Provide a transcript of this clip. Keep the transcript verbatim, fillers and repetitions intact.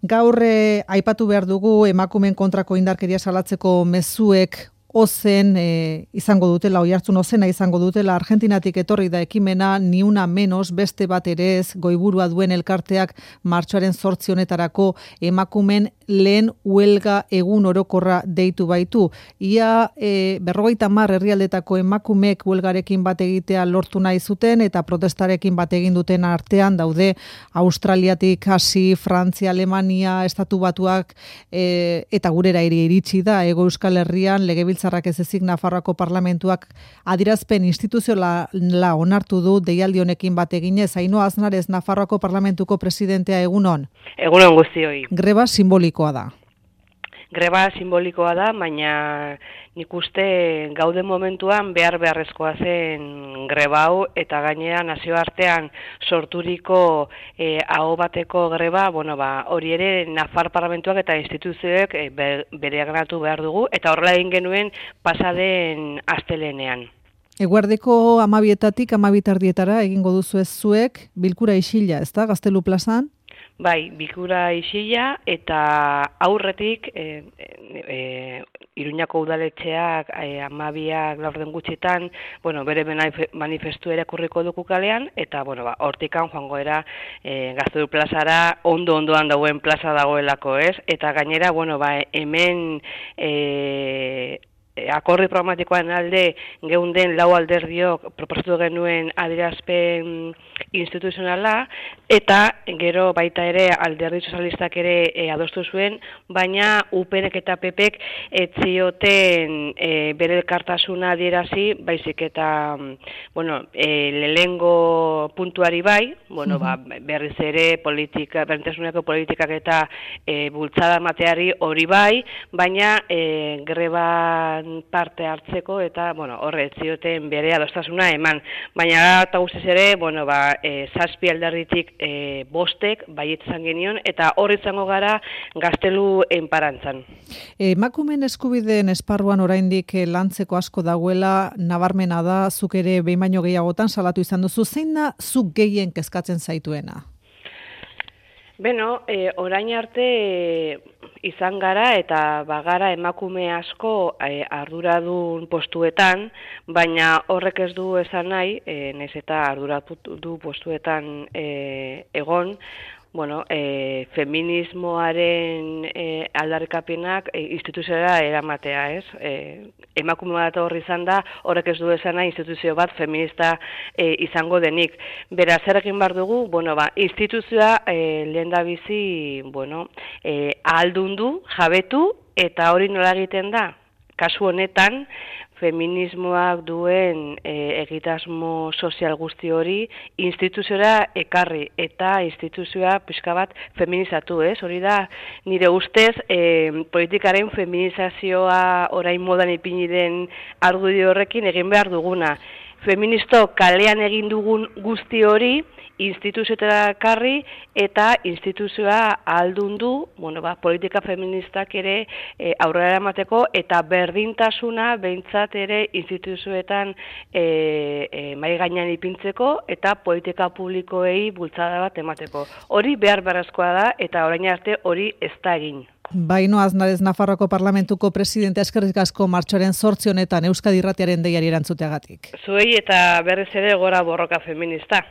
Gaur eh, aipatu behar dugu emakumeen kontrako indarkeria salatzeko mezuek ozen e, izango dutela, oihartzun ozena izango dutela. Argentinatik etorri da ekimena, ni una menos, beste bat ere ez, goiburua duen elkarteak martxoaren zortzi honetarako emakumen lehen huelga egun orokorra deitu baitu. Ia e, berrogeita hamar herrialdetako emakumeek huelgarekin bat egitea lortu nahi zuten eta protestarekin bat egin duten artean daude Australiatik hasi, Frantzia, Alemania, Estatu Batuak e, eta gurera ere iritsi da Hego Euskal Herrian legebiltzarrak ez ezik Nafarroako parlamentuak adierazpen instituzionala onartu du deialdi honekin bat eginez. Ainhoa Aznarez, Nafarroako parlamentuko presidentea, egunon. Egunon guztioi. Greba simbolikoa da. Greba simbolikoa da, baina nik uste gaude momentuan behar beharrezkoa zen greba hau, eta gainera nazioartean sorturiko eh, aho bateko greba, bueno, ba, hori ere Nafar parlamentuak eta instituzioek eh, bereganatu behar dugu, eta horrela egin genuen pasaden astelehenean. Eguerdeko amabietatik amabitardietara egingo duzu ez zuek, bilkura isila, ez da, Gaztelu plazan? Bai, bilkura isila eta aurretik e, e, Iruñako udaletxeak e, amabiak laurden gutxitan, bueno, bere manifestu irakurriko dugu kalean, eta bueno, ba, hortikan joango era e, Gaztelu plazara ondo-ondoan dagoen plaza dagoelako, ez? Eta gainera, bueno, ba, hemen e, akordi programatikoan alde geunden lau alderdiok proposatu genuen adierazpen instituzionala, eta gero baita ere alderdi sozialistak ere e, adostu zuen, baina U PNek eta P Pek ez zioten e, bere elkartasuna adierazi, baizik eta bueno, e, lehengo puntuari bai, bueno, ba, berriz ere politika, berdintasuneko politikak eta e, bultzada mateari hori bai, baina e, greba parte hartzeko eta bueno, horre ez zioten bere adostasuna eman. Baina eta guztiz ere, bueno, ba, e, zazpi alderditik e, bostek baiet izan genion, eta hor izango gara Gaztelu enparantzan. Emakumeen eskubideen esparruan oraindik lantzeko asko dagoela, nabarmena da, zuk ere behin baino gehiagotan salatu izan duzu. Zein da zuk gehien kezkatzen zaituena? Beno, e, orain arte e, izan gara eta bagara emakume asko e, arduradun postuetan, baina horrek ez du esan nahi, e, naiz eta arduratu postuetan e, egon, bueno, e, feminismoaren e, aldarrikapenak e, instituzioa eramatea, ez? E, emakume bat horri izan da, horrek ez du esan nahi instituzio bat feminista e, izango denik. Beraz, zer egin behar dugu, bueno, ba, instituzioa e, lehen da bizi, bueno, e, ahaldundu, jabetu, eta hori nola egiten da? Kasu honetan, feminismoak duen e, egitasmo sozial guzti hori instituziora ekarri eta instituzioa pixka bat feminizatu, ez? Hori da, nire ustez, e, politikaren feminizazioa orain modan ipini den argudio horrekin egin behar duguna. Feministo kalean egin dugun guzti hori instituzioetara ekarri eta instituzioa ahaldundu, bueno, ba, politika feministak ere e, aurrera eramateko eta berdintasuna behintzat ere instituzioetan e, e, mai gainean ipintzeko eta politika publikoei bultzada bat emateko. Hori behar beharrezkoa da eta orain arte hori ez da egin. Ainhoa Aznarez, Nafarroako parlamentuko presidente, eskerrik asko martxoaren zortzi honetan Euskadi Irratiaren deiari erantzuteagatik. Zuei eta berriz ere gora borroka feminista.